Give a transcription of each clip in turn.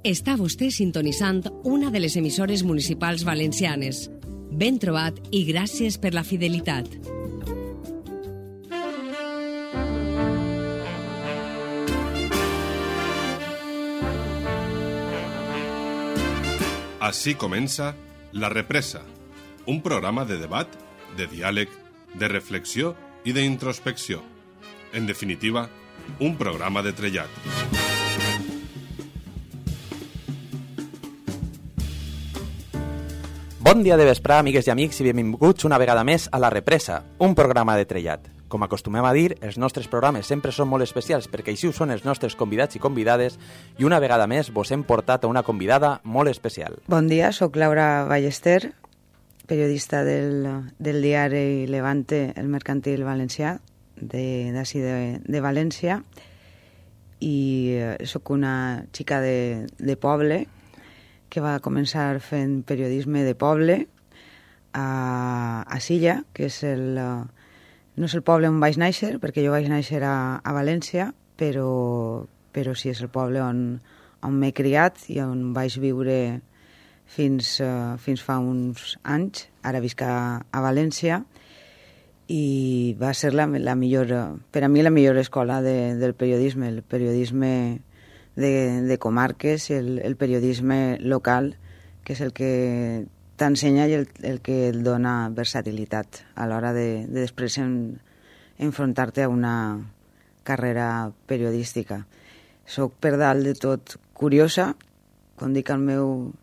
Està vostè sintonitzant una de les emissores municipals valencianes. Ben trobat i gràcies per la fidelitat. Així comença La Represa, un programa de debat, de diàleg, de reflexió i d'introspecció. En definitiva, un programa de trellat. Bon dia de vesprà, amigues i amics, i benvinguts una vegada més a La Represa, un programa de trellat. Com acostumem a dir, els nostres programes sempre són molt especials perquè així ho són els nostres convidats i convidades i una vegada més vos hem portat a una convidada molt especial. Bon dia, sóc Laura Ballester, periodista del diari Levante, el Mercantil Valencià, d'ací de València, i sóc una xica de poble que va començar fent periodisme de poble a Silla, que és no és el poble on vaig néixer, perquè jo vaig néixer a València, però sí és el poble on m'he criat i on vaig viure fins fa uns anys. Ara visc a València i va ser la millor, per a mi la millor escola del periodisme, el periodisme de comarques i el periodisme local, que és el que t'ensenya i el que et dona versatilitat a l'hora de després enfrontar-te a una carrera periodística. Soc per dalt de tot curiosa, com dic al meu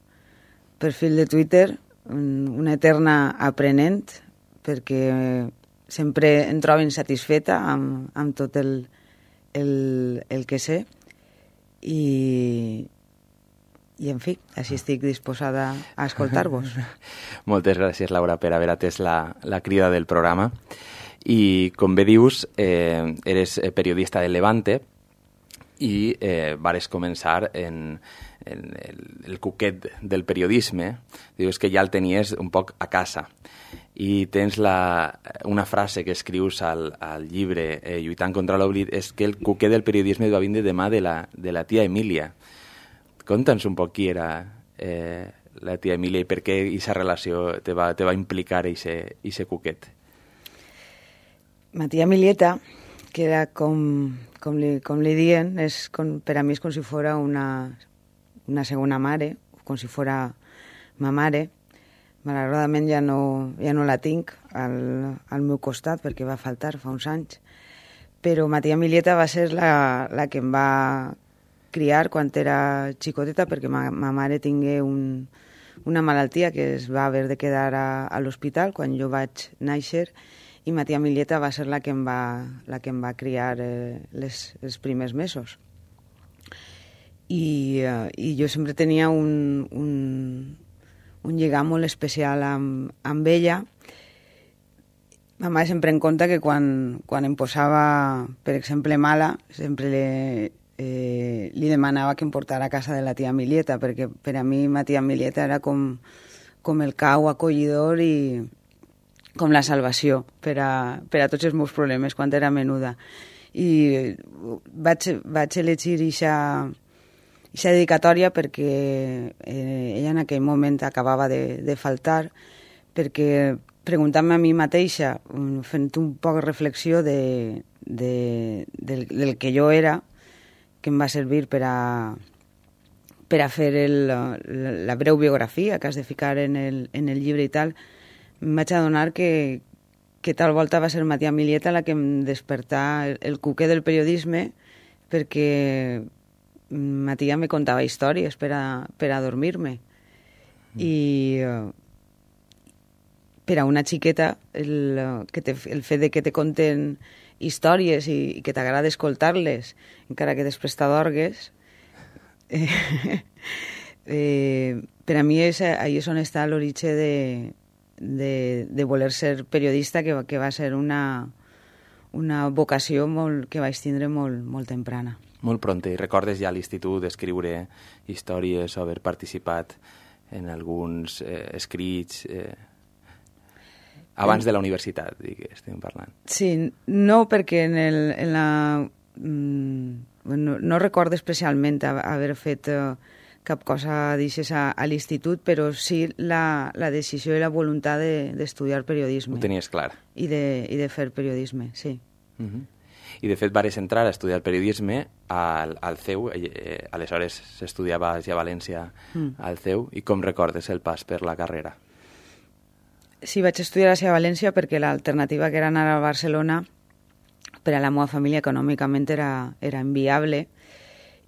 perfil de Twitter, una eterna aprenent, perquè sempre em trobo insatisfeta amb tot el que sé i en fi, així estic disposada a escoltar-vos. Moltes gràcies, Laura, per haver atès la crida del programa. I, com bé dius, eres periodista del Levante i vares començar en el cuquet del periodisme. Dius que ja el tenies un poc a casa. I tens una frase que escrius al llibre Lluitant contra l'oblit, és que el cuquet del periodisme va vindre de mà de la tia Emília. Conta'ns un poc qui era la tia Emília i per què aquesta relació te va implicar ese cuquet. Ma tia Emilieta, que era com li diuen, per a mi és com si fos una segona mare, com si fos ma mare. Malauradament ja no la tinc al meu costat perquè va faltar fa uns anys, però ma tia Emilieta va ser la que em va criar quan era xicoteta, perquè ma mare tingué una malaltia que es va haver de quedar a l'hospital quan jo vaig néixer, i ma tia Emilieta va ser la que em va criar els primers mesos. I jo sempre tenia un lligam molt especial amb ella. Ma mare sempre em conta que quan em posava, per exemple, mala, sempre li demanava que em portara a casa de la tia Emilieta, perquè per a mi ma tia Emilieta era com el cau acollidor i com la salvació per a tots els meus problemes quan era menuda. I vaig elegir aquesta dedicatòria perquè ella en aquell moment acabava de faltar, perquè preguntant-me a mi mateixa, fent un poc de reflexió del que jo era, que em va servir per a fer la breu biografia que has de ficar en el llibre i tal, em vaig adonar que tal volta va ser ma tia Emilieta la que em despertà el cuquer del periodisme, perquè ma tia me contava històries per a dormir-me. I per a una xiqueta el fet de que te conten històries i que t'agrada escoltar-les, encara que després t'adorgues, per a mi ahí és on està l'origen de voler ser periodista, que va ser una vocació que vaig tindre molt temprana. Molt pront. I recordes ja a l'institut d'escriure històries o haver participat en alguns escrits abans de la universitat, estem parlant? Sí, no, perquè no recordo especialment haver fet cap cosa deixes a l'institut, però sí la decisió i la voluntat d'estudiar periodisme. Ho tenies clar. I de fer periodisme, sí. I de fet vares entrar a estudiar periodisme al CEU, aleshores s'estudiava ja a València al CEU, i com recordes el pas per la carrera? Sí, vaig estudiar a València perquè l'alternativa que era anar a Barcelona per a la meva família econòmicament era inviable,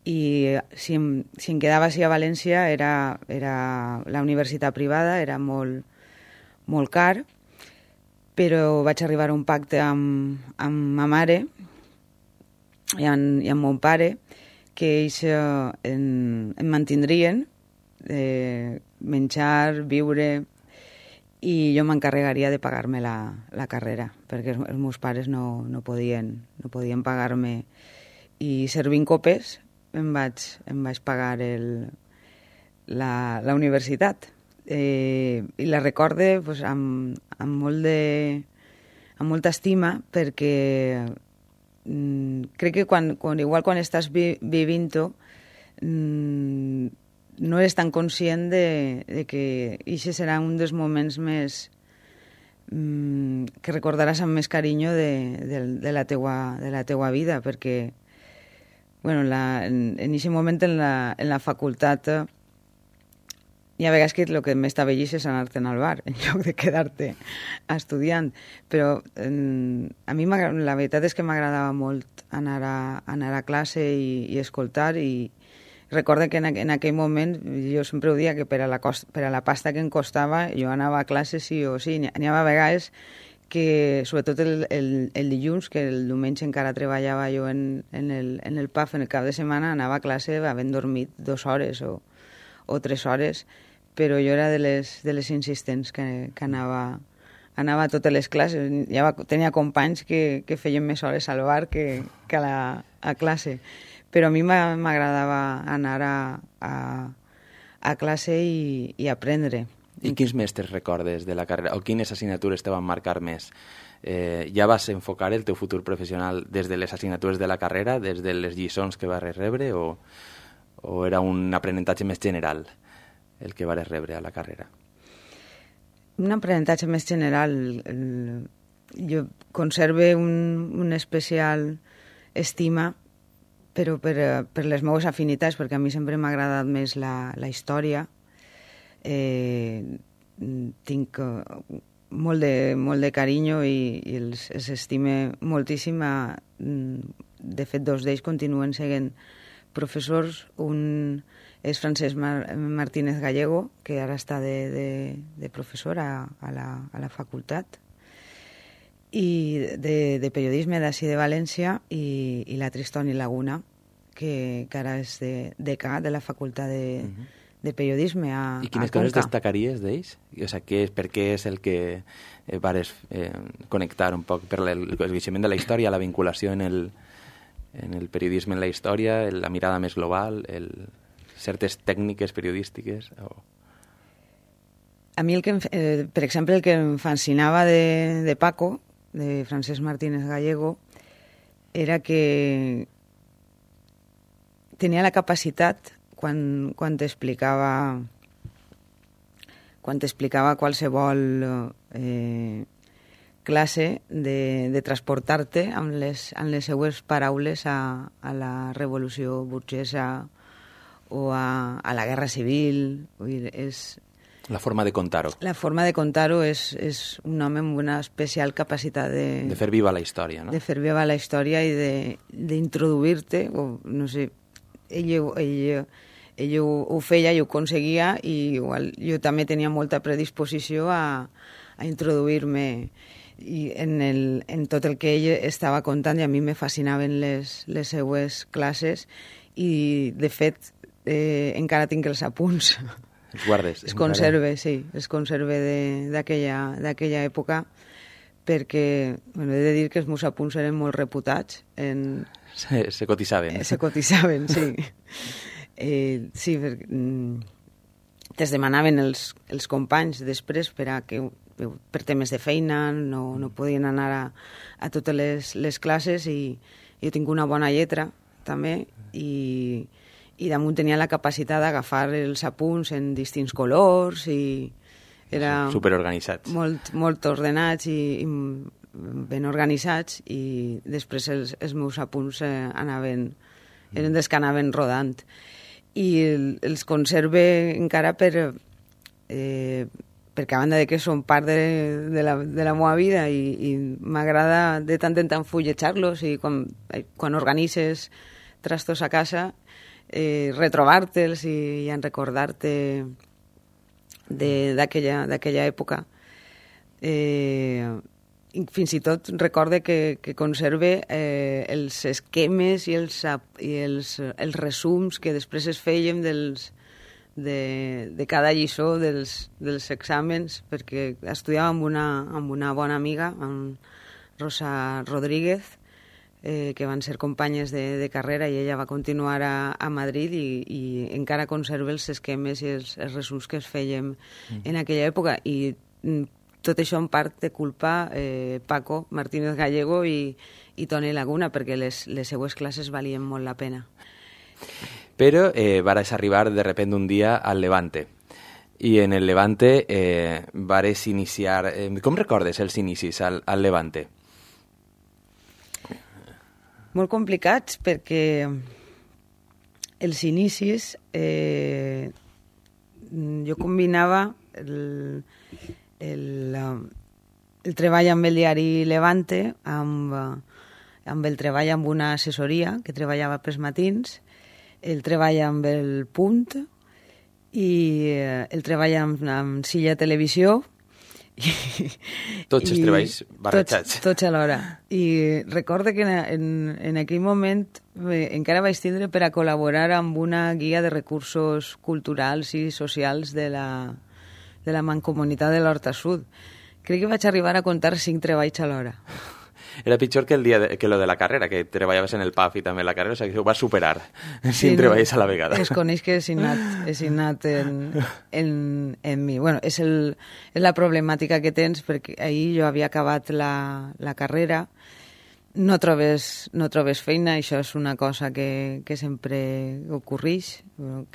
i si em quedava a València era la universitat privada, era molt, molt car, però vaig arribar a un pacte amb ma mare i amb mon pare, que ells em mantindrien, menjar, viure, i jo m'encarregaria de pagar-me la carrera, perquè els meus pares no podien pagar-me. I servint copes em vaig pagar la universitat. I la recorde pues, amb molta estima, perquè crec que igual quan estàs vivint-ho no eres tan conscient de que això serà un dels moments més que recordaràs amb més carinyo de la teua vida, perquè bueno, en aquest moment en la facultat hi ha vegades que el que més t'avellis és anar-te'n al bar en lloc de quedar-te estudiant, però a mi la veritat és que m'agradava molt anar a classe i escoltar, i recordo que en aquell moment jo sempre ho dia que per a la pasta que em costava jo anava a classe sí o sí. N'hi havia vegades que, sobretot el dilluns, que el diumenge encara treballava jo en el PAF, en el cap de setmana, anava a classe havent dormit 2 hores o 3 hores, però jo era de les insistents que anava a totes les classes. Tenia companys que feien més hores al bar que a classe, però a mi m'agradava anar a classe i aprendre. I quins mestres recordes de la carrera, o quines assignatures te van marcar més? Ja vas enfocar el teu futur professional des de les assignatures de la carrera, des de les lliçons que vas rebre, o era un aprenentatge més general el que vas rebre a la carrera? Un aprenentatge més general. Jo conserve un especial estima, però per les meves afinitats, perquè a mi sempre m'ha agradat més la història. Tinc molt de carinyo i els estime moltíssim. De fet, 2 d'ells continuen sent professors. Un és Francesc Martínez Gallego, que ara està de professor a la facultat, i de periodisme d'ací de València, i la Tristoni Laguna, que ara és decà de la facultat de periodisme a Conca. I quines coses destacaries d'ells? O sigui, per què és el que vares connectar un poc per el coneixement de la història, la vinculació en el periodisme en la història, la mirada més global, certes tècniques periodístiques? A mi, per exemple, el que em fascinava de Paco, de Francesc Martínez Gallego, era que tenia la capacitat, quan t'explicava qualsevol classe, de transportar-te amb les seues paraules a la revolució burgesa o a la guerra civil. La forma de contar-ho. La forma de contar-ho és un home amb una especial capacitat de fer viva la història, no? De fer viva la història i d'introduir-te, no sé, ell ho feia i ho aconseguia, i igual jo també tenia molta predisposició a introduir-me en tot el que ell estava contant, i a mi me fascinaven les seues classes, i de fet encara tinc els apunts. Els guardes? Es conserve, sí, es conserve d'aquella època, perquè he de dir que els meus apunts eren molt reputats. Se cotisaven. Se cotisaven, sí. Sí, te'ls demanaven els companys després per temes de feina, no podien anar a totes les classes, i jo tinc una bona lletra també, i i damunt tenia la capacitat d'agafar els apunts en distints colors i era superorganitzats. Molt ordenats i ben organitzats, i després els meus apunts eren dels que anaven rodant. I els conserve encara perquè a banda de que són part de la meva vida i m'agrada de tant en tant fulletjar-los, i quan organitzes trastos a casa, retrobar-te'ls i recordar-te d'aquella època. Fins i tot recorde que conserve els esquemes i els resums que després es feien de cada lliçó dels exàmens, perquè estudiava amb una bona amiga, amb Rosa Rodríguez, que van ser companyes de carrera, i ella va continuar a Madrid i encara conserva els esquemes i els resums que es fèiem en aquella època. I tot això en part de culpa Paco Martínez Gallego i Toni Laguna, perquè les seues classes valien molt la pena. Però vares arribar de repente un dia al Levante. I en el Levante vares iniciar... Com recordes els inicis al Levante? Molt complicats, perquè els inicis jo combinava el treball amb el diari Levante amb el treball amb una assessoria que treballava pels matins, el treball amb el Punt i el treball amb Silla Televisió. Tots els treballs barrejats. Tots alhora. I recorde que en aquell moment encara vaig tindre per a col·laborar amb una guia de recursos culturals i socials de la Mancomunitat de l'Horta Sud. Crec que vaig arribar a comptar 5 treballs alhora. Era pitjor que lo de la carrera, que treballaves en el PAF i també en la carrera, o sigui que ho vas superar, sin treballs a la vegada. Es coneix que és innat en mi. Bueno, és la problemàtica que tens, perquè ahir jo havia acabat la carrera, no trobes feina, això és una cosa que sempre ocorreix,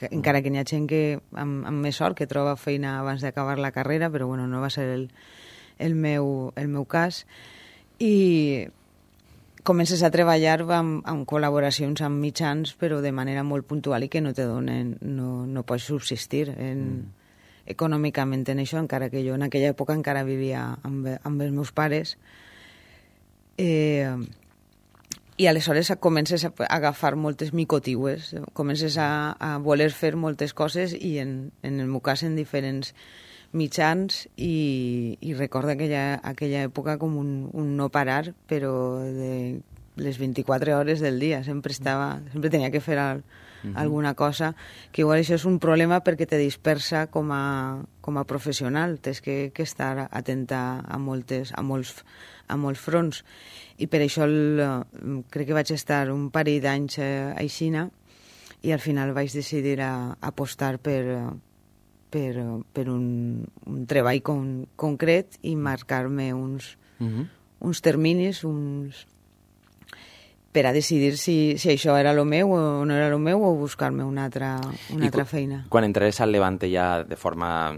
encara que n'hi ha gent que amb més sort que troba feina abans d'acabar la carrera, però bueno, no va ser el meu cas. I comences a treballar amb col·laboracions amb mitjans, però de manera molt puntual i que no te donen, no pots subsistir econòmicament en això, encara que jo en aquella època encara vivia amb els meus pares. I aleshores comences a agafar moltes micotiues, comences a voler fer moltes coses, i en el meu cas en diferents mitjans, i recordo aquella època com un no parar, però de les 24 hores del dia. Sempre tenia que fer alguna cosa, que igual això és un problema perquè te dispersa com a professional. Tens que estar atenta a molts fronts. I per això crec que vaig estar un parell d'anys a Aixina, i al final vaig decidir apostar per un treball concret i marcar-me uns terminis per a decidir si això era el meu o no era el meu, o buscar-me una altra feina. Quan entrares al Levante ja de forma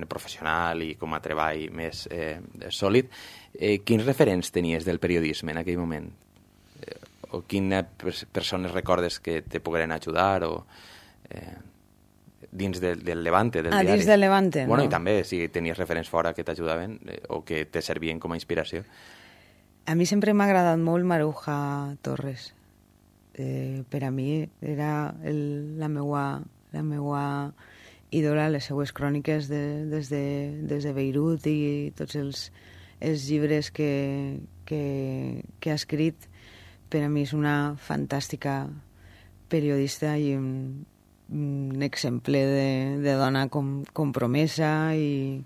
professional i com a treball més sòlid, quins referents tenies del periodisme en aquell moment? O quines persones recordes que te pogueren ajudar o... dins del Levante, del diari. Dins del Levante, bueno, no. I també si tenies referents fora que t'ajudaven o que te servien com a inspiració. A mi sempre m'ha agradat molt Maruja Torres. Per a mi era la meua ídola, les seues cròniques des de Beirut i tots els llibres que ha escrit. Per a mi és una fantàstica periodista i un exemple de dona compromesa i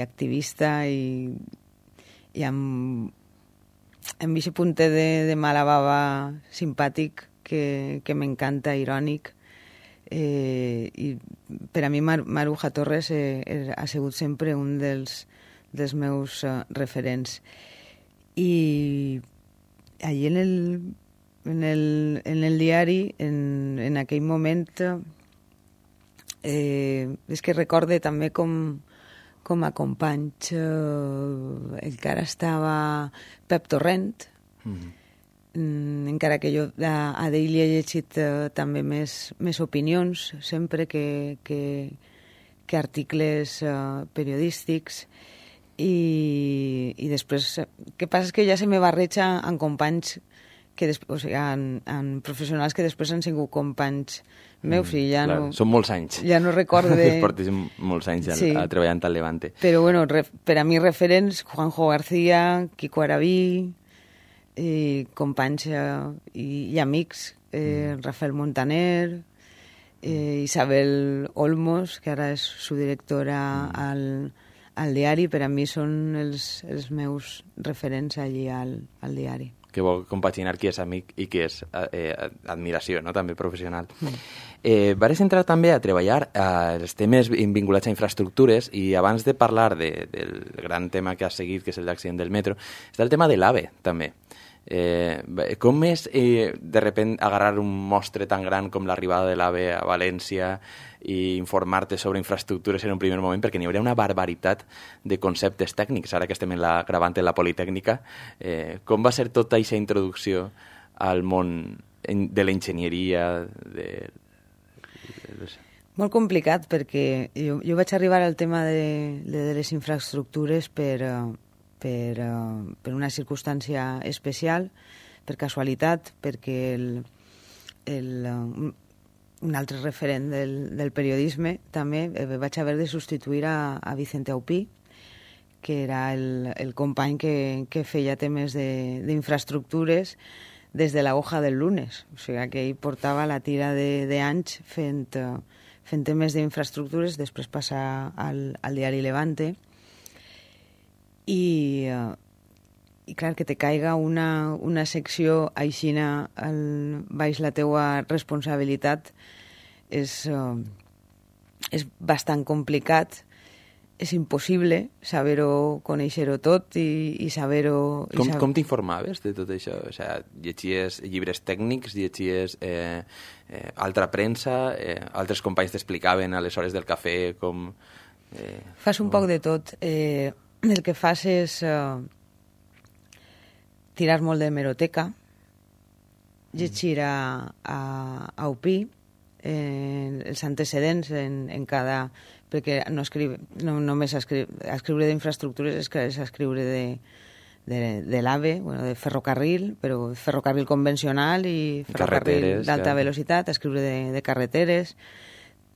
activista i amb aquest puntet de mala bava simpàtic que m'encanta, irònic. I per a mi Maruja Torres ha sigut sempre un dels meus referents. I allí en el diari, en aquell moment, és que recorde també com a companys encara estava Pep Torrent, encara que jo a d'ell he llegit també més opinions, sempre que articles periodístics, i després, què passa és que ja se me barreja en companys en professionals que després han sigut companys meus i ja no... Són molts anys. Ja no recordo de... Portes molts anys treballant al Levante. Però, bueno, per a mi referents, Juanjo García, Quico Araví, companys i amics, Rafael Montaner, Isabel Olmos, que ara és subdirectora al diari, per a mi són els meus referents allí al diari. Que vol compaginar qui és amic i qui és admiració, no? També professional. Vares entrar també a treballar els temes vinculats a infraestructures, i abans de parlar del gran tema que has seguit, que és el d'accident del metro, està el tema de l'AVE, també. Com és de repent agarrar un mostre tan gran com l'arribada de l'AVE a València i informar-te sobre infraestructures en un primer moment, perquè n'hi hauria una barbaritat de conceptes tècnics, ara que estem gravant en la Politècnica. Com va ser tota aquesta introducció al món de l'enginyeria? Molt complicat, perquè jo vaig arribar al tema de les infraestructures per una circumstància especial, per casualitat, perquè un altre referent del periodisme també vaig haver de substituir a Vicente Aupí, que era el company que feia temes d'infraestructures des de la hoja del lunes. O sigui que ell portava la tira d'anys fent temes d'infraestructures, després passar al diari Levante, i clar, que te caiga una secció aixina baix la teua responsabilitat és bastant complicat, és impossible saber-ho, conèixer-ho tot i saber-ho... Com t'informaves de tot això? O sigui, llegies llibres tècnics, llegies altra premsa, altres companys t'explicaven a les hores del cafè com... Fas un poc de tot. El que fas és tirar molt d'hemeroteca, llegir a Upí els antecedents en cada... perquè no només escriure d'infraestructures és escriure de l'AVE, bueno, de ferrocarril, però ferrocarril convencional i ferrocarril d'alta velocitat, escriure de carreteres.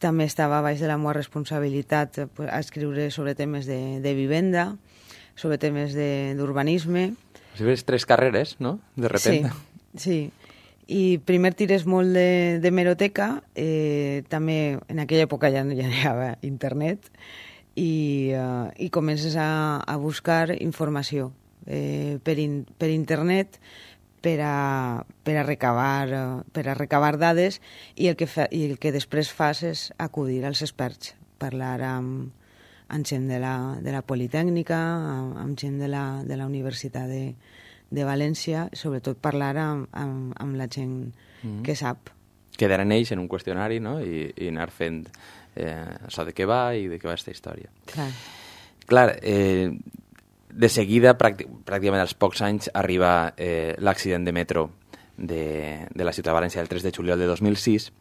També estava baix de la meva responsabilitat a escriure sobre temes de vivenda, sobre temes d'urbanisme. Si ves 3 carreres, no?, de repente. Sí. I primer tires molt d'hemeroteca, també en aquella època ja no hi havia internet, i comences a buscar informació per internet per a recabar dades, i el que després fas és acudir als experts, parlar amb gent de la Politècnica, amb gent de la Universitat de València, sobretot parlar amb la gent que sap. Quedar en ells en un qüestionari, no?, i anar fent això de què va i de què va aquesta història. Clar, de seguida, pràcticament als pocs anys, arriba l'accident de metro de la ciutat de València el 3 de juliol de 2006,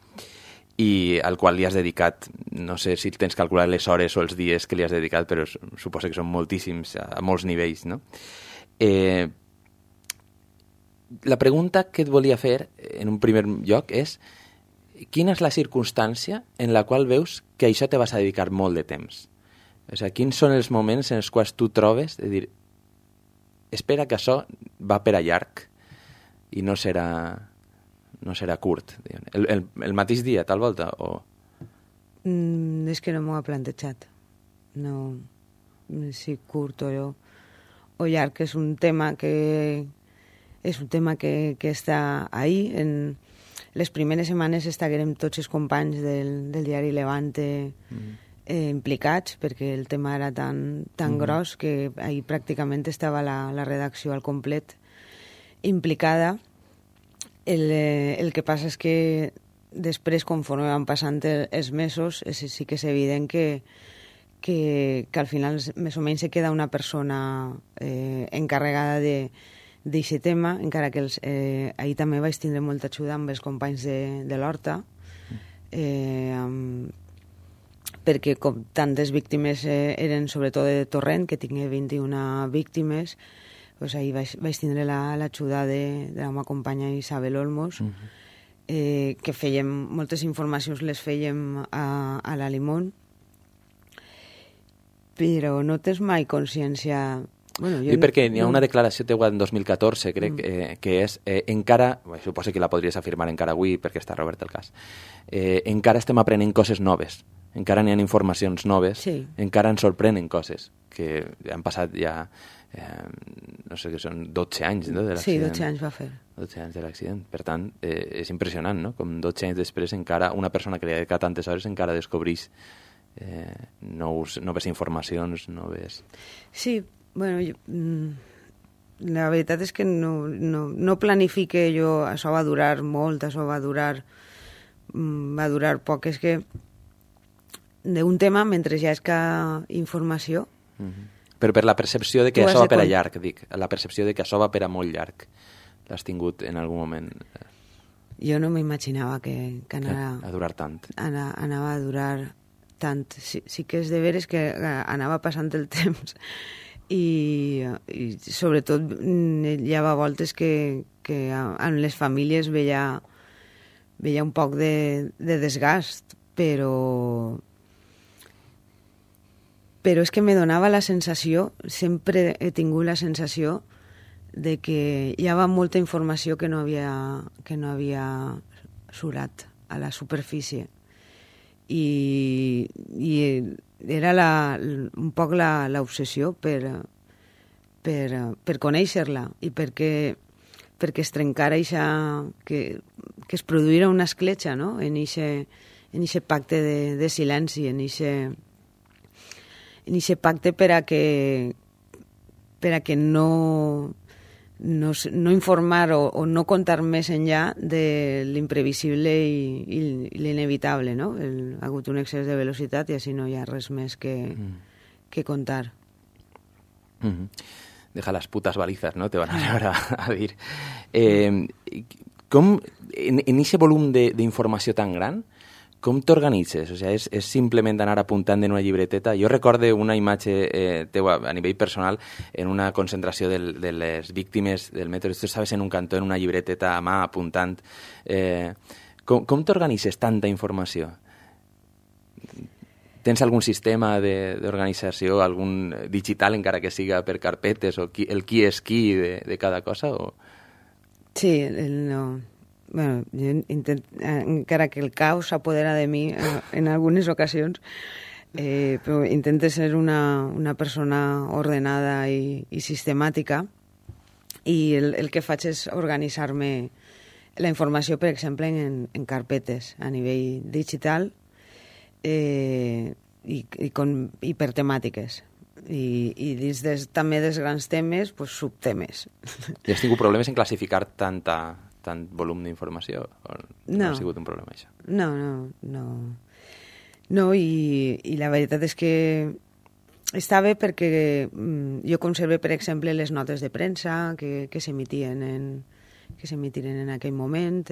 i al qual li has dedicat, no sé si tens calculat les hores o els dies que li has dedicat, però suposo que són moltíssims, a molts nivells, no? La pregunta que et volia fer en un primer lloc és: quina és la circumstància en la qual veus que això te vas a dedicar molt de temps? O sigui, quins són els moments en els quals tu trobes de dir, espera que això va per a llarg i no serà curt? El mateix dia, tal volta? O... És que no m'ho ha plantejat. No, si curt o llarg, és un tema que està ahí. En les primeres setmanes estaguérem tots els companys del diari Levante implicats, perquè el tema era tan gros que ahí pràcticament estava la redacció al complet implicada. El que passa és que després, conforme van passant els mesos, sí que és evident que al final més o menys se queda una persona encarregada d'aquest tema, encara que ahir també vaig tindre molta ajuda amb els companys de l'Horta, perquè com tantes víctimes eren sobretot de Torrent, que tingué 21 víctimes, doncs ahir vaig tindre l'ajuda de la meva companya Isabel Olmos, que fèiem moltes informacions, les fèiem a la Limón, però no tens mai consciència... Bueno, I perquè hi ha una declaració teua en 2014, crec, que és encara, suposo que la podries afirmar encara avui perquè està obert el cas, encara estem aprenent coses noves, encara n'hi ha informacions noves, sí. Encara ens sorprenen coses que han passat ja, no sé, que són 12 anys, no, de l'accident. Sí, 12 anys va fer. 12 anys de l'accident. Per tant, és impressionant, no? Com 12 anys després encara una persona que li ha dedicat tantes hores encara descobreix noves informacions, noves... Sí, bueno, la veritat és que no planifique jo, això va durar molt, això va durar poc, és que d'un tema, mentre ja és que informació... Però per la percepció de que això va per a llarg, dic, la percepció de que això va per a molt llarg, l'has tingut en algun moment? Jo no m'imaginava que anava... A durar tant. Anava a durar tant. Sí que és de veres que anava passant el temps i sobretot hi havia voltes que en les famílies veia un poc de desgast, però és que me donava la sensació, sempre he tingut la sensació de que hi havia molta informació que no havia surat a la superfície i era un poc l'obsessió per conèixer-la i perquè es trencara que es produïra una escletxa, no? en eixe pacte de silenci, en eixe pacte per a que no informar o no contar més enllà de l'imprevisible i l'inevitable, no? Ha hagut un excés de velocitat i així no hi ha res més que contar. Deja las putas balizas, ¿no? Te van a llevar a dir. Com, en aquest volum d'informació tan gran, com t'organitzes? O sigui, és simplement anar apuntant en una llibreteta? Jo recorde una imatge teua a nivell personal en una concentració de les víctimes del metro. Tu estaves en un cantó, en una llibreteta a mà, apuntant. Com t'organitzes tanta informació? Tens algun sistema d'organització, algun digital, encara que siga per carpetes, o el qui és qui de cada cosa? O... Sí, no... Bueno, jo encara que el caos s'apodera de mi en algunes ocasions, però intento ser una persona ordenada i sistemàtica, i el que faig és organitzar-me la informació, per exemple, en carpetes a nivell digital i per temàtiques. I dins també dels grans temes, pues, subtemes. I has tingut problemes en classificar tant volum d'informació? No ha sigut un problema, això? No, i la veritat és que està bé perquè jo conserve, per exemple, les notes de premsa que s'emitien en aquell moment,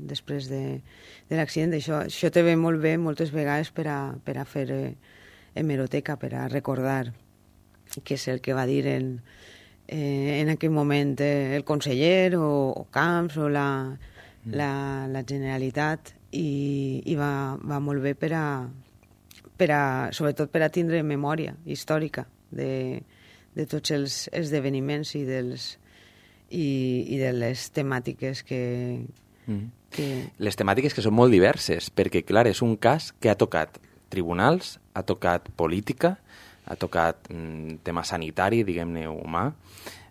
després de l'accident. Això te ve molt bé moltes vegades per a fer hemeroteca, per a recordar què és el que va dir en aquell moment el conseller o Camps o la Generalitat, i va molt bé sobretot per a tindre memòria històrica de tots els esdeveniments i de les temàtiques que... Les temàtiques que són molt diverses, perquè, clar, és un cas que ha tocat tribunals, ha tocat política, ha tocat tema sanitari, diguem-ne, humà,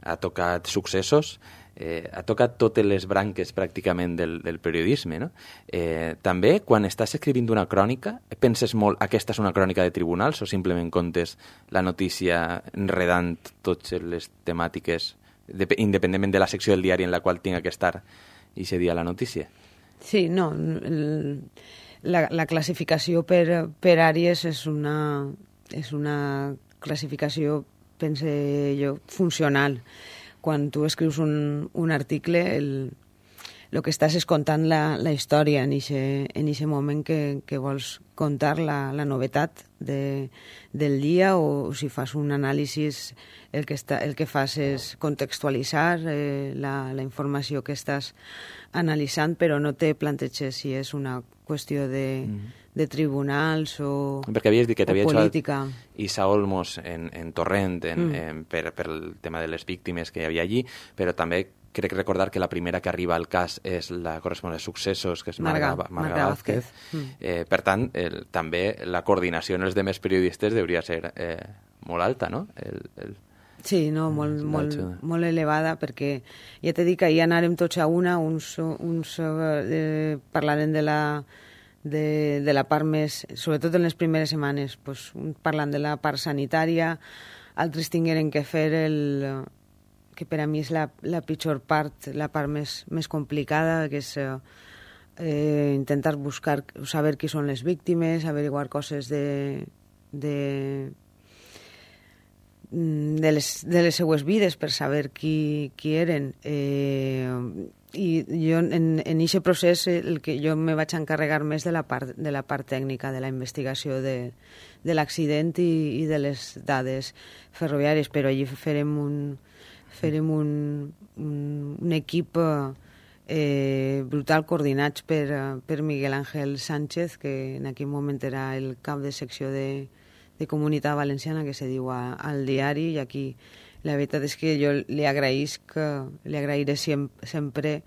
ha tocat successos, ha tocat totes les branques pràcticament del periodisme, no? També, quan estàs escrivint una crònica, penses molt, aquesta és una crònica de tribunals, o simplement contes la notícia enredant totes les temàtiques, independentment de la secció del diari en la qual tinga que estar i se dia la notícia. Sí, no, la classificació per àrees és una classificació, pense jo, funcional. Quan tu escrius un article, el que estàs és contant la història en eixe moment que vols contar la novetat del dia, o si fas un anàlisi el que fas és contextualitzar la informació que estàs analitzant, però no te planteges si és una qüestió de tribunals o política. Perquè havies dit que t'havia xuat Isa Olmos en Torrent per el tema de les víctimes que hi havia allí, però també crec recordar que la primera que arriba al cas és la corresponent de Successos, que és Marga Vázquez. Per tant, també la coordinació en els demés periodistes hauria ser molt alta, no? Sí, no, molt elevada, perquè ja t'he dit que ahir anàrem tots a una, uns parlaren de la part més, sobretot en les primeres setmanes, pues, parlant de la part sanitària, altres tingueren que fer que per a mi és la pitjor part, la part més complicada, que és intentar buscar, saber qui són les víctimes, averiguar coses de les seues vides per saber qui eren. I jo en aquest procés el que jo me vaig encarregar més de la part tècnica, de la investigació de l'accident i de les dades ferroviàries, però allí farem un equip brutal, coordinats per Miguel Ángel Sánchez, que en aquell moment era el cap de secció de Comunitat Valenciana, que se diu al diari, i aquí la veritat és que jo li agrairé sempre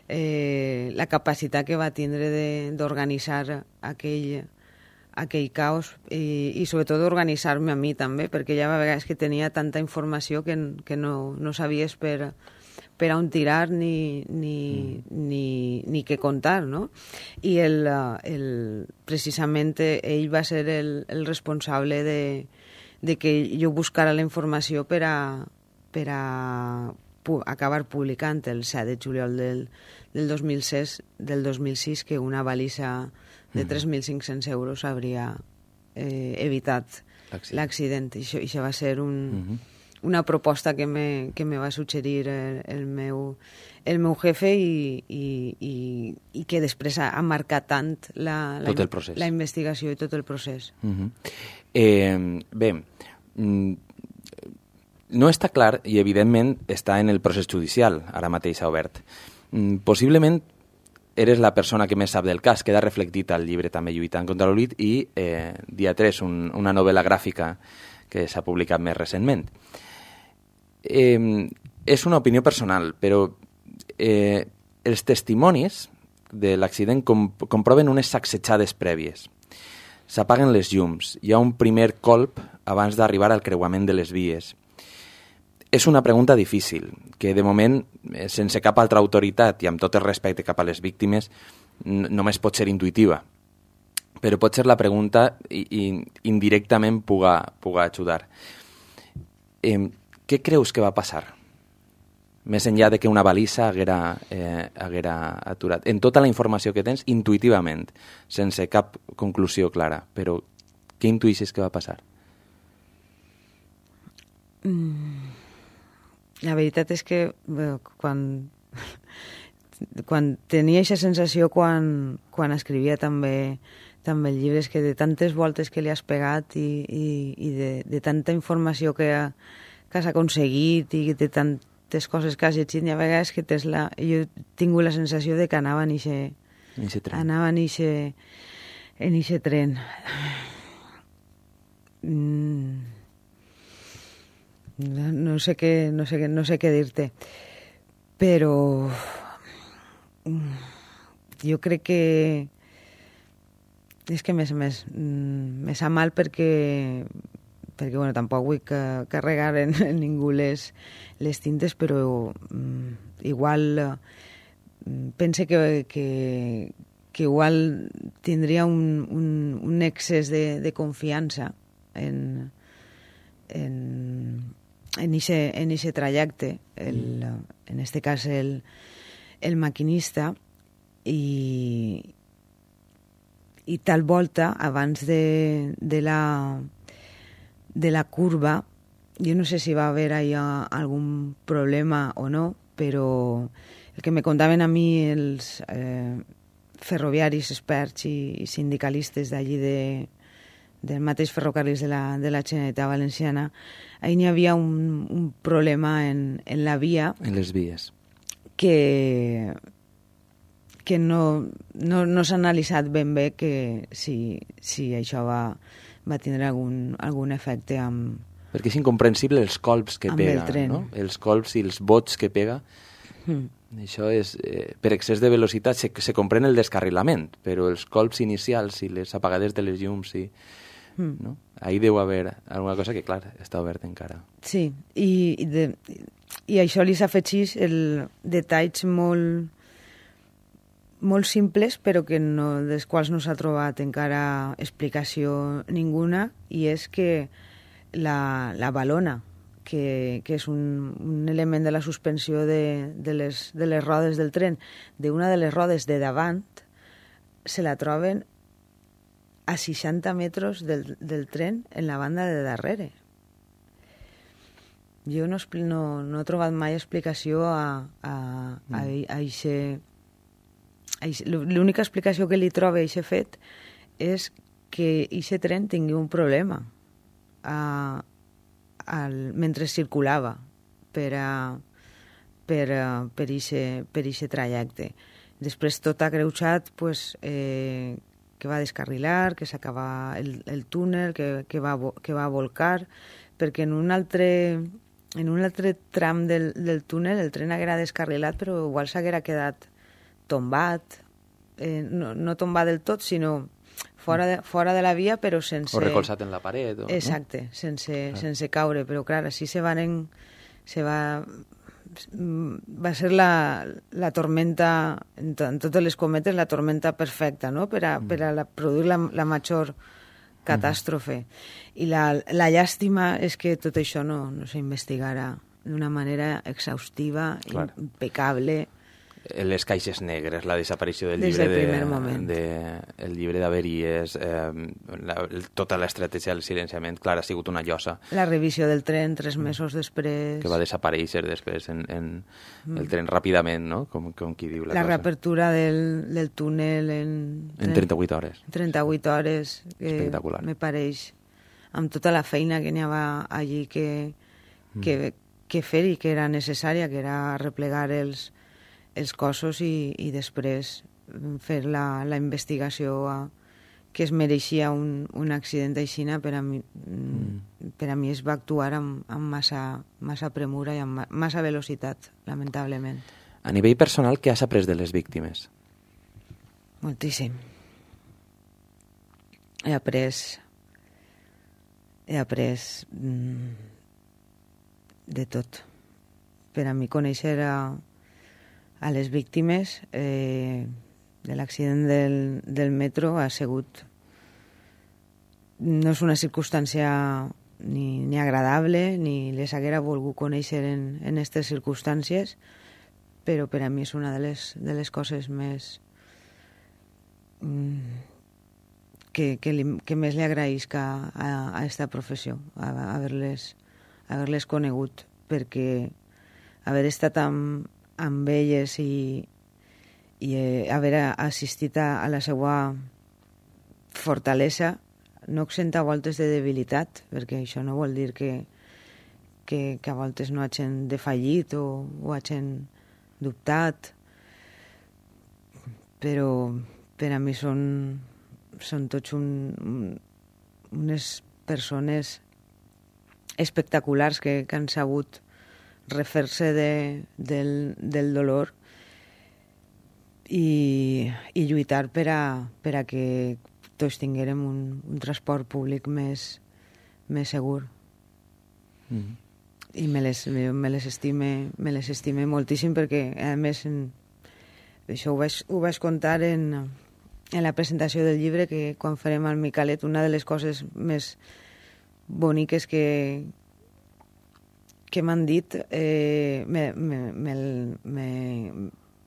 la capacitat que va tindre d'organitzar aquell caos i sobretot d'organitzar-me a mi també, perquè ja a vegades que tenia tanta informació que no sabies per on tirar ni què contar, no? I precisament ell va ser el responsable de que jo buscara la informació per a acabar publicant el 7 de juliol del 2006 que una balisa de 3.500 euros hauria evitat l'accident. I això va ser una proposta que me va suggerir el meu jefe i que després ha marcat tant la investigació i tot el procés. Bé, no està clar i evidentment està en el procés judicial, ara mateix ha obert. Possiblement eres la persona que més sap del cas, queda reflectit al llibre també Lluitant contra l'oblit i Dia 3, una novel·la gràfica que s'ha publicat més recentment. És una opinió personal, però els testimonis de l'accident comproven unes sacsejades prèvies. S'apaguen les llums, hi ha un primer colp abans d'arribar al creuament de les vies. És una pregunta difícil, que de moment, sense cap altra autoritat i amb tot el respecte cap a les víctimes, només pot ser intuïtiva. Però pot ser la pregunta i indirectament puga ajudar. Què creus que va passar? Més enllà de que una balisa haguera aturat. En tota la informació que tens, intuïtivament, sense cap conclusió clara. Però què intuïssis que va passar? La veritat és que quan tenia aquesta sensació quan escrivia també el llibre, és que de tantes voltes que li has pegat i de tanta informació que has aconseguit i de tantes coses que has llegit, i a vegades que jo tinc la sensació de que anava en eixe tren. No sé què dir-te, però jo crec que és que me sap mal perquè bueno, tampoc vull carregar en ningú les tintes, però igual pense que igual tindria un excés de confiança en eixe trajecte. En este cas el el maquinista i tal volta, abans de la curva, jo no sé si va haver allà algun problema o no, però el que me contaven a mi els ferroviaris experts i sindicalistes d'allí del mateix ferrocarrils de la Generalitat Valenciana, ahí n'hi havia un problema en la via. En les vies. Que no s'ha analitzat ben bé que si això va tindre algun efecte amb... Perquè és incomprensible els colps que pega, el tren. no? Els colps i els bots que pega. Això és... per excés de velocitat se comprèn el descarrilament, però els colps inicials i les apagades de les llums no? Ahí deu haver alguna cosa que, clar, està oberta encara. Sí, i això li s'afegeix detalls molt simples, però dels quals no s'ha trobat encara explicació ninguna, i és que la balona, que és un element de la suspensió de les rodes del tren, d'una de les rodes de davant, se la troben a 60 metres del tren en la banda de darrere. Jo no he trobat mai explicació a l'única explicació que li trobo a aquest fet és que aquest tren tingui un problema mentre circulava per aquest trajecte. Després tot ha greujat que va descarrilar, que s'acaba el túnel, que va volcar, perquè en un altre tram del túnel el tren haguera descarrilat, però igual s'haguera quedat tombat, no tombat del tot, sinó fora de la via, però sense... O recolzat en la paret. Exacte, no? sense caure, però clar, així va ser la tormenta, en totes les cometes, la tormenta perfecta, no?, per a produir la major catàstrofe. I la llàstima és que tot això no s'investigara d'una manera exhaustiva, impecable. Les caixes negres, la desaparició del el llibre d'averies, tota l'estratègia del silenciament, clar, ha sigut una llosa. La revisió del tren 3 mesos després. Que va desaparèixer després en el tren ràpidament, no? Com qui diu la cosa. La reapertura del túnel en 38 hores. 38 hores. Espectacular. Me pareix, amb tota la feina que n'hi havia allí que fer i que era necessària, que era replegar els cossos i després fer la investigació que es mereixia un accident aixina. Per a mi es va actuar amb massa premura i amb massa velocitat, lamentablement. A nivell personal, què has après de les víctimes? Moltíssim. He après de tot. Per a mi conèixer a les víctimes de l'accident del metro ha sigut... No és una circumstància ni agradable, ni les haguera volgut conèixer en aquestes circumstàncies, però per a mi és una de les coses més... que més li agraïsc a aquesta professió, haver-les conegut, perquè haver estat amb elles i haver assistit a la seva fortalesa no exenta a voltes de debilitat, perquè això no vol dir que a voltes no hagin defallit o hagin dubtat, però per a mi són tots unes persones espectaculars que han sabut refer-se del dolor i lluitar per a que tots tinguérem un transport públic més segur. I me les estime moltíssim, perquè a més això ho vaig contar en la presentació del llibre, que quan farem al Micalet una de les coses més boniques que m'han dit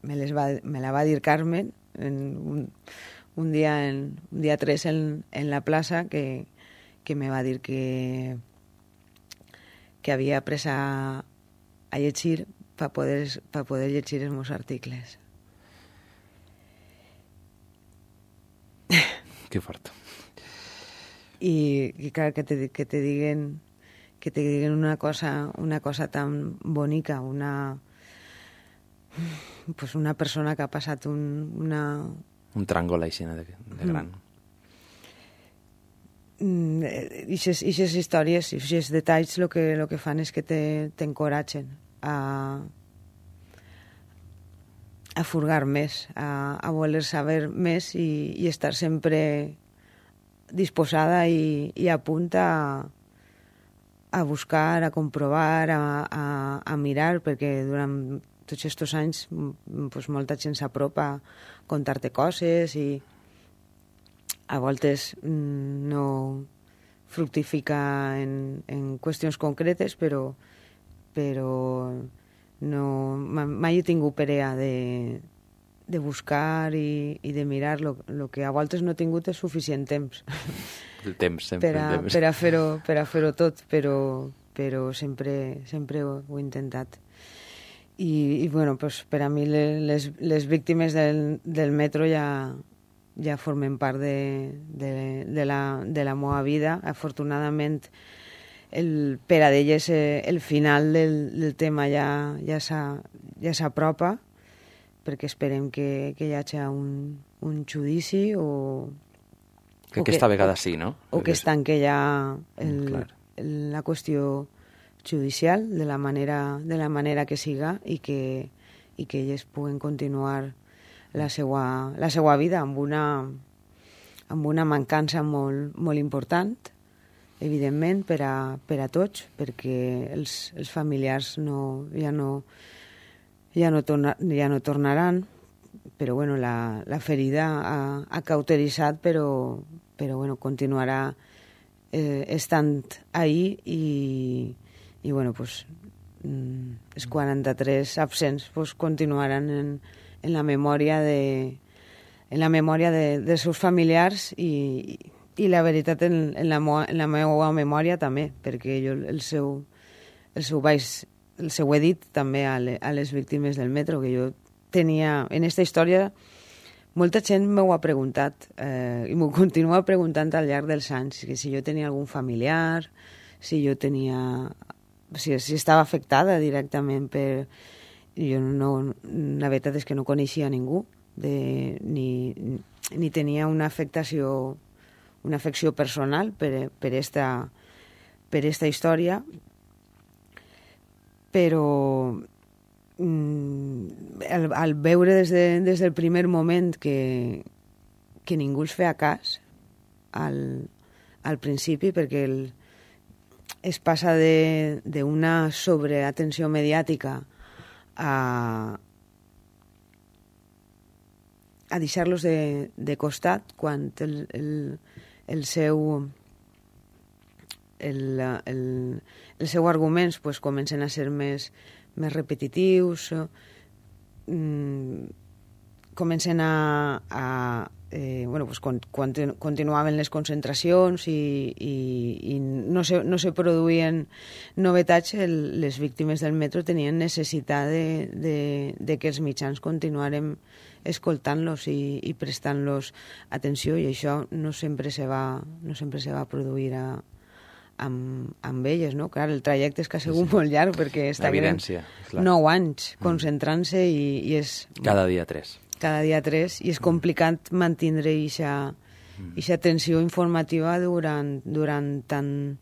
me la va dir Carmen un día 3 en la plaça, que me va dir que havia après a llegir per poder llegir els meus articles. Que fort. I clar, que te diguen una cosa tan bonica, una persona que ha passat un tràngol així de gran. Ixes històries, ixes detalls lo que fan és que t'encoratgen a furgar més, a voler saber més i estar sempre disposada i a punt a buscar, a comprovar, a mirar, perquè durant tots aquests anys pues, molta gent s'apropa a contar-te coses i a voltes no fructifica en qüestions concretes, però no, mai he tingut perea de buscar i de mirar lo que a voltes no he tingut és suficient temps. El temps, sempre el temps. Per a fer-ho tot, però sempre ho he intentat. I bueno, pues, per a mi les víctimes del metro ja formen part de la meva vida. Afortunadament, per a d'elles el final del tema ja s'apropa, perquè esperem que hi hagi un judici o que aquesta vegada sí, no? O que es tanque ja la qüestió judicial de la manera que siga i que elles puguen continuar la seva vida amb una mancança molt important, evidentment, per a tots, perquè els familiars ja no tornaran, però bueno, la ferida ha cauteritzat, però bueno, continuarà estant ahí i bueno, pues, els 43 absents pues, continuaran en la memòria dels seus familiars i la veritat en la meva memòria també, perquè jo el seu he dit també a les víctimes del metro, que jo tenia en aquesta història. Molta gent m'ho ha preguntat i m'ho continua preguntant al llarg dels anys, que si jo tenia algun familiar, si estava afectada directament per... Jo la veritat és que no coneixia ningú, ni tenia una afecció personal per esta història, però al veure des del primer moment que ningú els feia cas al principi, perquè es passa d'una sobreatenció mediàtica a deixar-los de costat quan els seus arguments pues, comencen a ser més repetitius, comencen bueno, pues, continuaven les concentracions i no se produïen novetats. Les víctimes del metro tenien necessitat de que els mitjans continuaren escoltant-los i prestant-los atenció, i això no sempre se va produir amb elles, no? Clar, el trajecte és que ha sigut molt llarg, perquè estaven 9 anys concentrant-se i és... Cada dia 3. Cada dia 3, i és complicat mantenir aquesta tensió informativa durant tant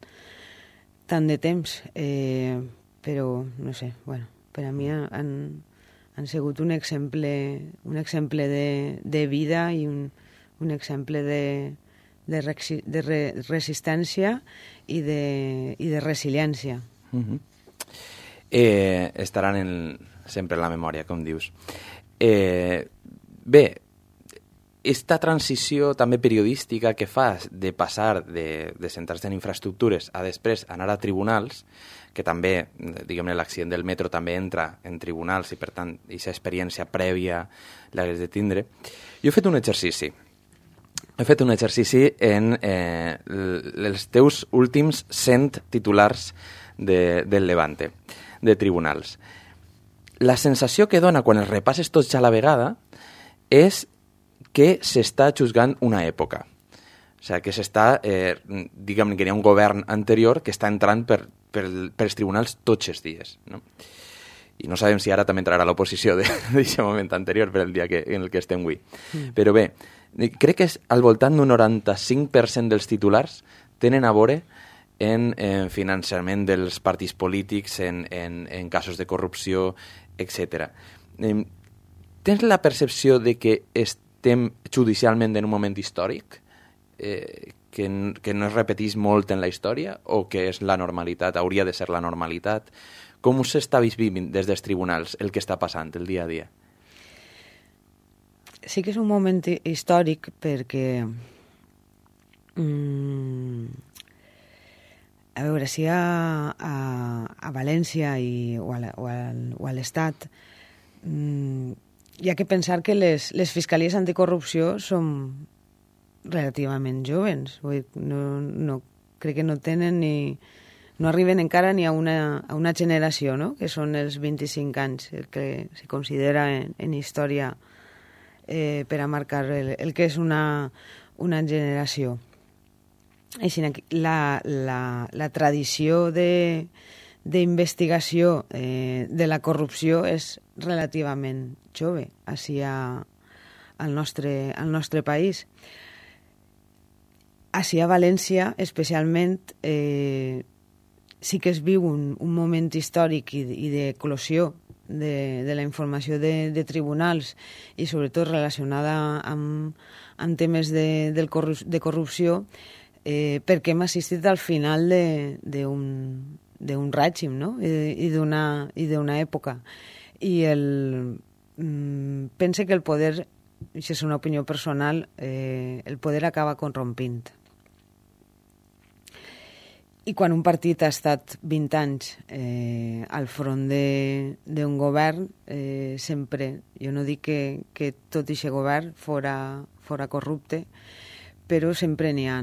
de temps. Però, no sé, bueno, per a mi han sigut un exemple de vida i un exemple de resistència i de resiliència. Estaran sempre en la memòria, com dius. Bé, esta transició també periodística que fas de passar de centrar-se en infraestructures a després anar a tribunals, que també, diguem-ne, l'accident del metro també entra en tribunals i, per tant, aquesta experiència prèvia l'hagués de tindre. Jo he fet un exercici. He fet un exercici en els teus últims 100 titulars del Levante, de tribunals. La sensació que dona quan els repasses tots a la vegada és que s'està juzgant una època. O sigui, que s'està, diguem que hi ha un govern anterior que està entrant per els tribunals tots els dies, no? I no sabem si ara també entrarà l'oposició d'aquest moment anterior per el dia en el que estem avui. Però bé, crec que al voltant d'un 95% dels titulars tenen a veure en finançament dels partits polítics, en casos de corrupció, etc. Tens la percepció de que estem judicialment en un moment històric que no es repetís molt en la història o que és la normalitat, hauria de ser la normalitat? Com s'està vivint des dels tribunals el que està passant el dia a dia? Sí que és un moment històric perquè a veure, si a València o a l'Estat hi ha que pensar que les fiscalies anticorrupció són relativament joves. Vull dir, crec que no tenen no arriben encara ni a una generació, no? Que són els 25 anys, el que se considera en història per a marcar el que és una generació. Així, la tradició d'investigació de la corrupció és relativament jove així al nostre país. Així a València, especialment, sí que es viu un moment històric i d'eclosió de la informació de tribunals i sobretot relacionada amb temes de corrupció, perquè hem assistit al final d'un règim, no? I d'una època. I pense que el poder, això és una opinió personal, el poder acaba corrompint. I quan un partit ha estat 20 anys al front d'un govern, sempre, jo no dic que tot aquest govern fora corrupte, però sempre n'hi ha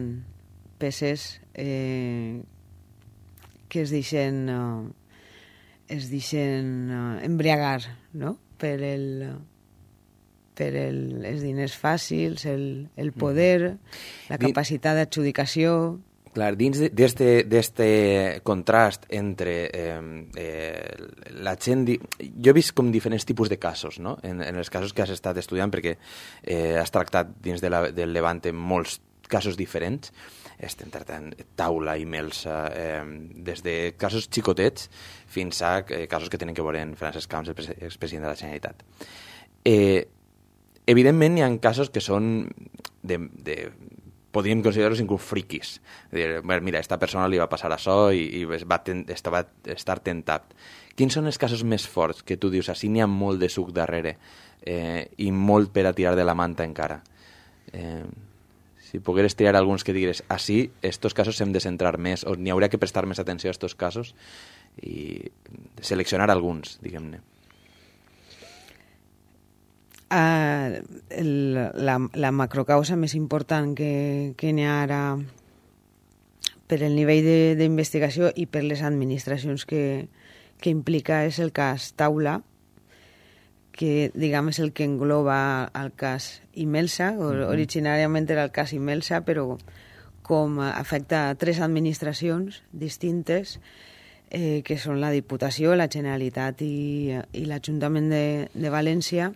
peces que es deixen embriagar, no? per els diners fàcils, el poder, la capacitat d'adjudicació. Clar, dins d'este contrast entre la gent... Jo he vist com diferents tipus de casos, no? En els casos que has estat estudiant, perquè has tractat dins del Levante molts casos diferents, estem tractant Taula i Melsa, des de casos xicotets fins a casos que tenen que veure amb Francesc Camps, expresident de la Generalitat. Evidentment, hi ha casos que són podríem considerar-los inclús friquis. Mira, a esta persona li va passar això i va estar tentat. Quins són els casos més forts que tu dius, així n'hi ha molt de suc darrere i molt per a tirar de la manta encara? Si pogueres triar alguns que digues, així, estos casos hem de centrar més, o n'hi hauria que prestar més atenció a estos casos i seleccionar alguns, diguem-ne. La macrocausa més important que n'hi ha ara per el nivell d'investigació i per les administracions que implica és el cas Taula, que diguem és el que engloba el cas Imelsa. Originàriament era el cas Imelsa, però com afecta 3 administracions distintes, que són la Diputació, la Generalitat i l'Ajuntament de València,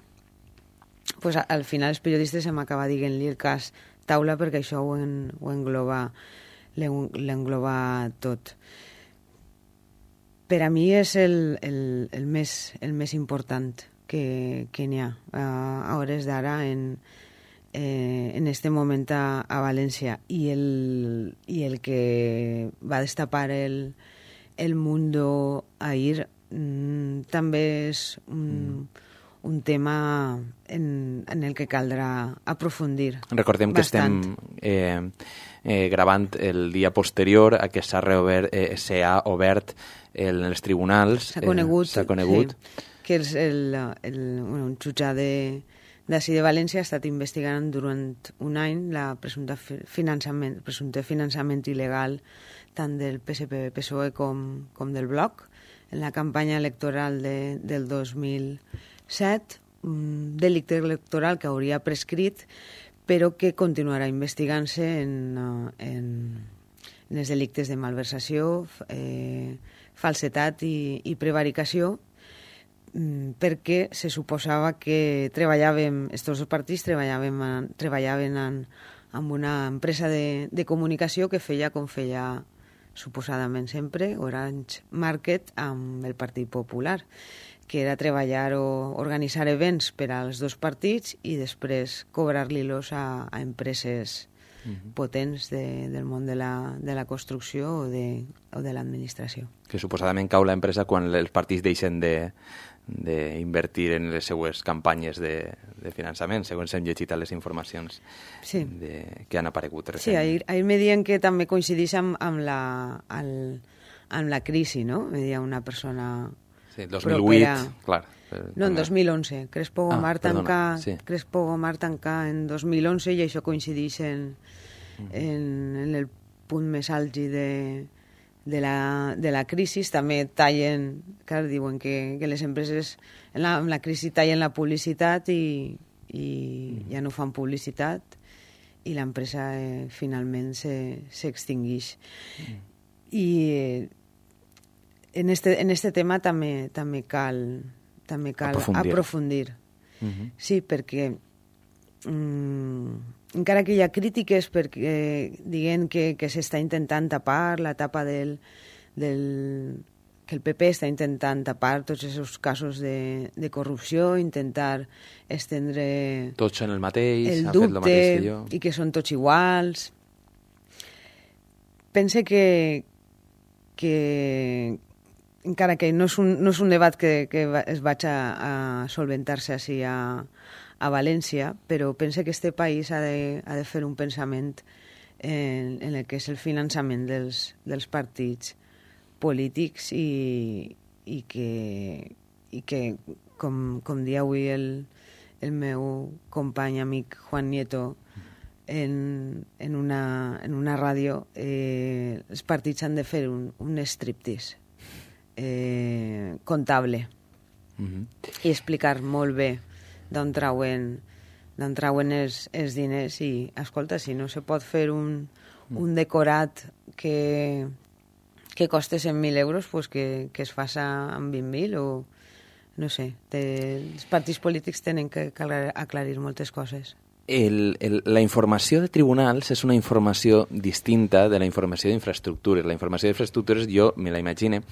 pues al final els periodistes hem acabat dient-li el cas Taula perquè això ho l'engloba tot. Per a mi és el més important que n'hi ha a hores d'ara en este moment a València. I el que va destapar el Mundo ahir també és un tema en el que caldrà aprofundir. Recordem bastant. Que estem gravant el dia posterior a que s'ha obert en els tribunals s'ha conegut sí, que un jutge d'ací de València ha estat investigant durant un any la presumpte finançament il·legal tant del PSPV-PSOE com del Bloc en la campanya electoral del 2007, un delicte electoral que hauria prescrit però que continuarà investigant-se en els delictes de malversació, falsetat i prevaricació, perquè se suposava que estos dos partits treballaven amb una empresa de comunicació que feia com feia suposadament sempre Orange Market amb el Partit Popular, que era treballar o organitzar events per als dos partits i després cobrar-li-los a empreses potents del món de la construcció o de l'administració. Que suposadament cau l'empresa quan els partits deixen d'invertir en les seues campanyes de finançament, segons hem llegit a les informacions que han aparegut recentment. Sí, ahir me diuen que també coincideix amb la crisi, no? Me deia una persona... Sí, 2008, clar. No, en 2011. Crespo Gomar tancà en 2011 i això coincideix en el punt més àlgid de la crisi. També tallen, clar, diuen que les empreses en la crisi tallen la publicitat i ja no fan publicitat i l'empresa finalment s'extingeix. I en este tema també cal aprofundir. Sí, perquè encara que hi ha crítiques perquè diguen que s'està intentant tapar la tapa que el PP està intentant tapar tots aquests casos de corrupció, intentar estendre tots són el mateix, el dubte i que són tots iguals. Pense que encara que no és un debat que es vaig a solventar-se així a València, però pense que este país ha de fer un pensament en el que és el finançament dels partits polítics i que com dia avui el meu company amic Juan Nieto en una ràdio, els partits han de fer un striptease comptable i explicar molt bé d'on trauen els diners i, escolta, si no se pot fer un decorat que costa 100.000 euros, pues que es faça amb 20.000 o no sé. Els partits polítics tenen que aclarir moltes coses. La informació de tribunals és una informació distinta de la informació d'infraestructures. La informació d'infraestructures jo me la imagine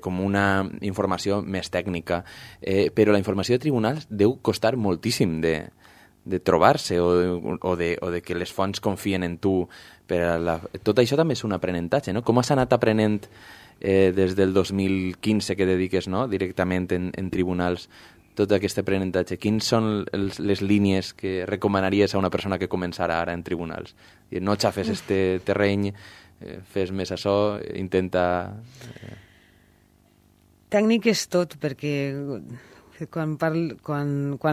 com una informació més tècnica, però la informació de tribunals deu costar moltíssim de trobar-se o de que les fonts confien en tu. Tot això també és un aprenentatge, no? Com has anat aprenent des del 2015 que dediques, no? Directament en tribunals tot aquest aprenentatge? Quins són les línies que recomanaries a una persona que començara ara en tribunals? No xafes este terreny, fes més això, intenta... Tècnic és tot, perquè quan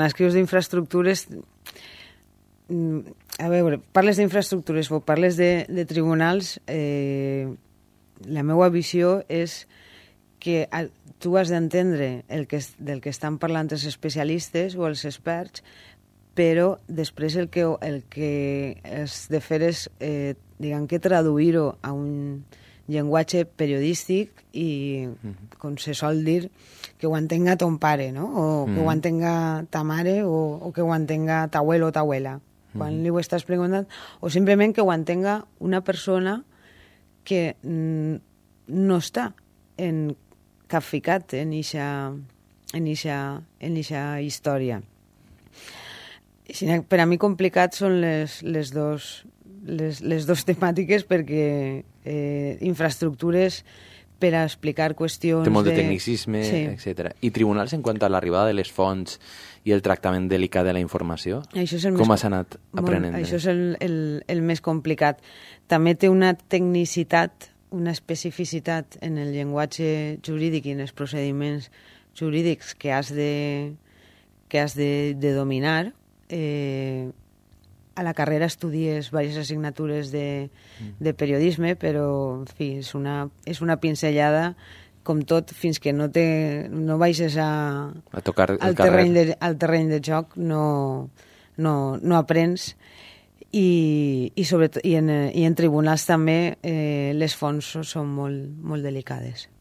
escrius d'infraestructures... A veure, parles d'infraestructures o parles de tribunals, la meva visió és que tu has d'entendre del que estan parlant els especialistes o els experts, però després el que has de fer és, diguem que traduir-ho a un llenguatge periodístic i, com se sol dir, que ho entenga ton pare, no? O que ho entenga ta mare o que ho entenga ta abuelo o ta abuela. Quan li ho estàs preguntant, o simplement que ho entenga una persona que no està capficat en eixa història. Per a mi complicat són les dos temàtiques perquè infraestructures per a explicar qüestions... Té molt de tecnicisme, sí, etc. I tribunals en quant a l'arribada de les fonts i el tractament delicat de la informació? Com has anat aprenent? Això és el més complicat. També té una tecnicitat una especificitat en el llenguatge jurídic i en els procediments jurídics que has de dominar. A la carrera estudies diverses assignatures de periodisme, però, en fi, és una pinzellada, com tot, fins que no baixes a tocar al terreny de joc, no aprens. I en tribunals també les fonts són molt delicades,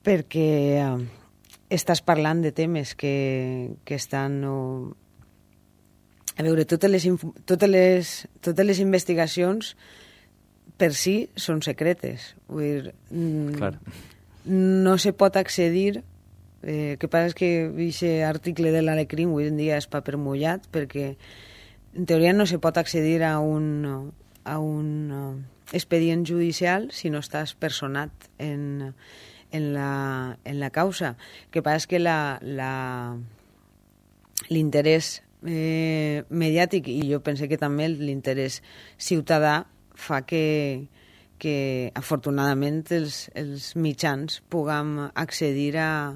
perquè estàs parlant de temes que estan... A veure, totes les investigacions per si són secretes. Vull dir, no se pot accedir. El que passa és que aquest article de l'Alecrim avui en dia és paper mullat, perquè en teoria no se pot accedir a un expedient judicial si no estàs personat en la causa. El que passa és que l'interès mediàtic, i jo pense que també l'interès ciutadà, fa que afortunadament els mitjans puguem accedir a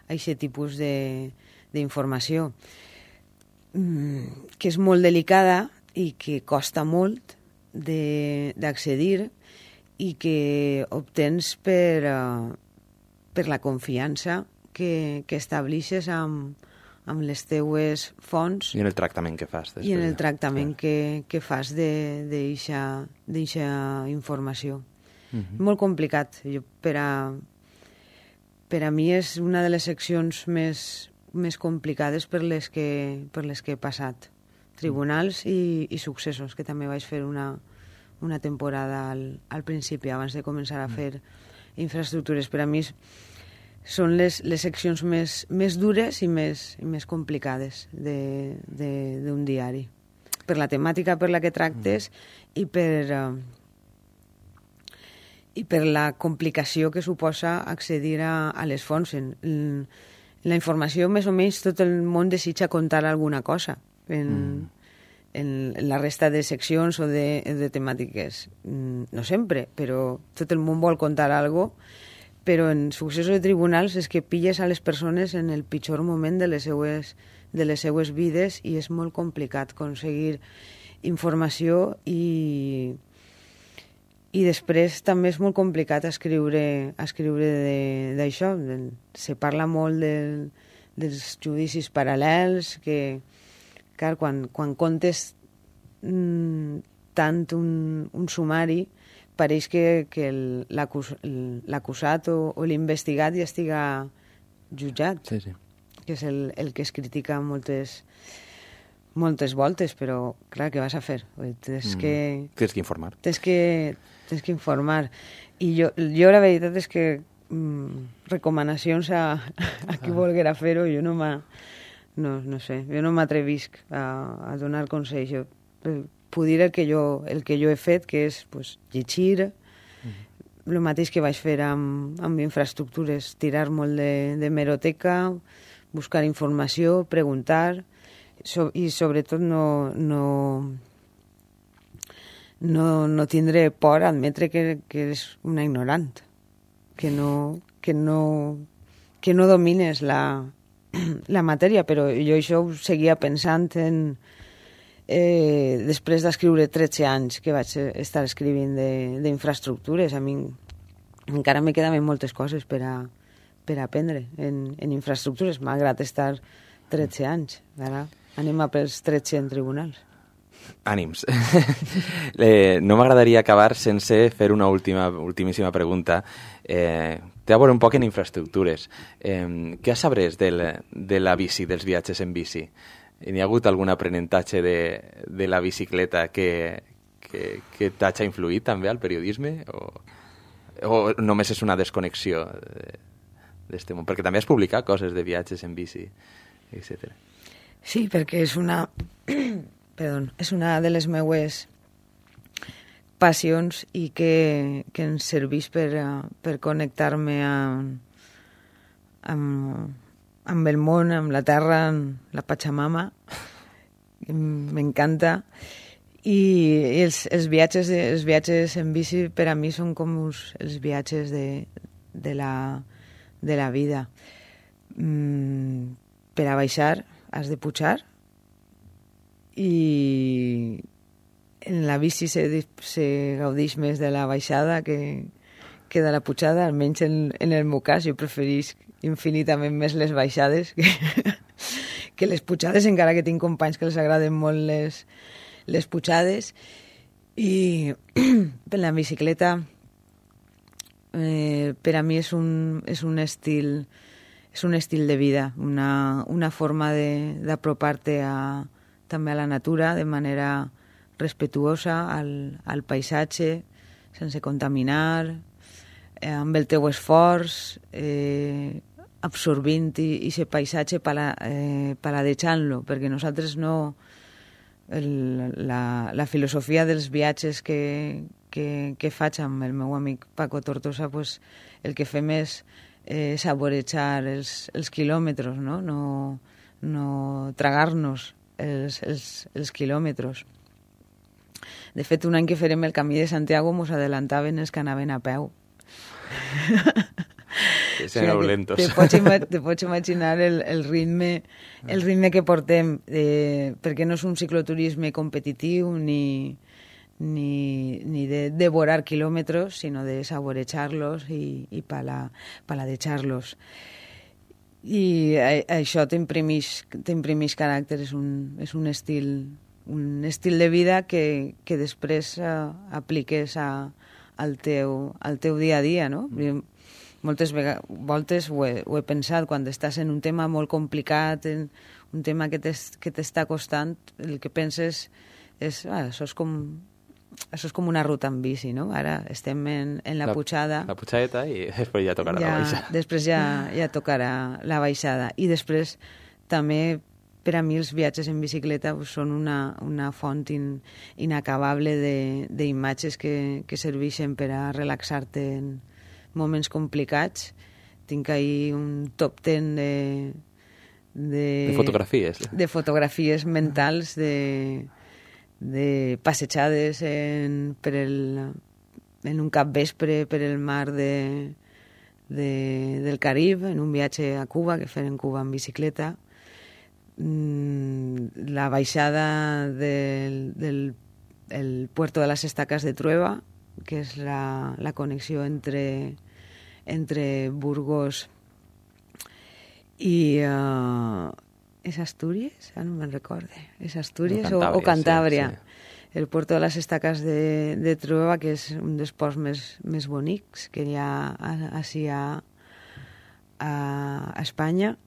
aquest tipus d'informació, que és molt delicada i que costa molt d'accedir i que obtens per la confiança que establixes amb les teues fonts i en el tractament que fas després, i en el tractament que fas d'eixa informació. Molt complicat. Per a mi és una de les seccions més complicades per les que he passat. Tribunals i successos, que també vaig fer una temporada al principi, abans de començar a fer infraestructures. Per a mi són les seccions més dures i més complicades d'un diari, per la temàtica per la que tractes i per la complicació que suposa accedir a les fonts. En la informació, més o menys, tot el món desitja contar alguna cosa en la resta de seccions o de temàtiques. No sempre, però tot el món vol contar alguna cosa. Però en successos de tribunals és que pilles a les persones en el pitjor moment de les seues vides i és molt complicat aconseguir informació i després també és molt complicat escriure d'això. Se parla molt dels judicis paral·lels, que clar, quan comptes tant un sumari, pareix que l'acusat o l'investigat ja estiga jutjat, que és el que es critica moltes voltes, però clar, què vas a fer? Tens que informar. Tens que informar. I jo la veritat és que recomanacions a qui volguera fer-ho, jo no m'atrevisc a donar consells. Jo puc dir el que jo he fet, que és llegir, el mateix que vaig fer amb infraestructures, tirar molt de hemeroteca, buscar informació, preguntar, i sobretot no tindre por a admetre que eres una ignorant, que no domines la matèria. Però jo això ho seguia pensant després d'escriure 13 anys que vaig estar escrivint d'infraestructures. A mi encara me quedaven moltes coses per aprendre en infraestructures, malgrat estar 13 anys. Ara anem a pels 13 en tribunals. Ànims. No m'agradaria acabar sense fer una ultimíssima pregunta. Té a veure un poc en infraestructures. Què sabràs de la bici, dels viatges en bici? N'hi ha hagut algun aprenentatge de la bicicleta que t'hagi influït també al periodisme? O només és una desconnexió d'este món? Perquè també has publicat coses de viatges en bici, etc. Sí, perquè és una de les meues passions i que ens serveix per connectar-me amb el món, amb la terra, amb la Pachamama. M'encanta. I els viatges en bici per a mi són com els viatges de la vida. Per a baixar has de pujar i en la bici se gaudeix més de la baixada que de la pujada, almenys en el meu cas. Jo preferís infinitament més les baixades que les pujades, encara que tinc companys que els agraden molt les pujades. I per la bicicleta per a mi és un estil de vida, una forma d'apropar-te també a la natura de manera respetuosa al paisatge, sense contaminar, amb el teu esforç, absorbint i aquest paisatge paladejant-lo, perquè nosaltres no... La filosofia dels viatges que faig amb el meu amic Paco Tortosa, pues, el que fem és saborejar els quilòmetres, no tragar-nos els quilòmetres. De fet, un any que farem el Camí de Santiago mos adelantaven els que anaven a peu. Sereu lentos. Te pots imaginar el ritme que portem, perquè no és un cicloturisme competitiu ni de devorar quilòmetres, sinó de saborejar-los i paladejar-los. I això t'imprimeix caràcter, és un estil de vida que després apliques al teu dia a dia, no? Moltes voltes ho he pensat, quan estàs en un tema molt complicat, en un tema que t'està costant, el que penses és, això és com una ruta en bici, no? Ara estem en la pujada. La pujadeta i després ja tocarà la baixada. Després ja tocarà la baixada. I després també, per a mi, els viatges en bicicleta són una font inacabable d'imatges que serveixen per a relaxar-te en moments complicats. Tinc ahir un top 10 de fotografies mentals de passejades en un capvespre per el mar del Carib, en un viatge a Cuba, que fem en Cuba en bicicleta. La baixada del Puerto de las Estacas de Trueba, que és la connexió entre Burgos i és Astúries? No me'n recorde. És Astúries o Cantàbria. Sí. El Puerto de las Estacas de Trueba, que és un dels ports més bonics que hi ha així a Espanya.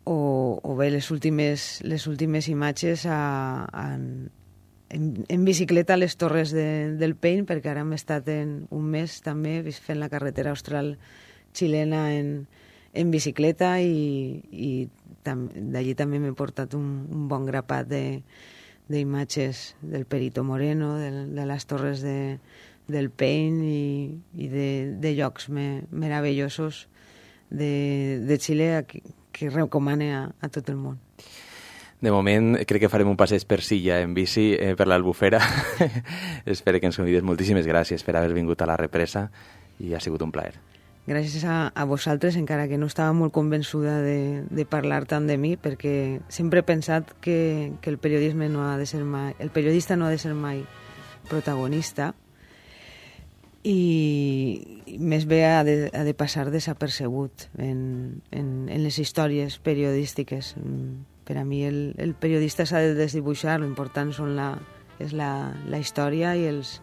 O bé les últimes imatges en bicicleta a les Torres del Paine, perquè ara hem estat un mes també fent la carretera austral xilena en bicicleta i d'allí també m'he portat un bon grapat d'imatges del Perito Moreno, de les Torres del Paine i de llocs meravellosos de Xile que recomane a tot el món. De moment, crec que farem un passeig per Silla en bici per l'Albufera. Espero que ens convides. Moltíssimes gràcies per haver vingut a la represa i ha sigut un plaer. Gràcies a vosaltres, encara que no estava molt convençuda de parlar tant de mi, perquè sempre he pensat que el periodista no ha de ser mai protagonista i més bé ha de passar desapercebut en les històries periodístiques. Per a mi el periodista s'ha de desdibuixar, l'important és la història i els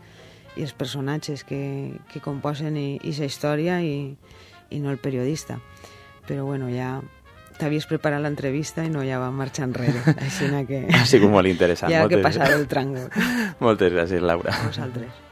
personatges que composen aquesta història i no el periodista. Però bueno, ja t'havies preparat l'entrevista i no ja va marxar enrere. Així que ha sigut molt interessant. Ja que passar el tràngol. Moltes gràcies, Laura. A vosaltres.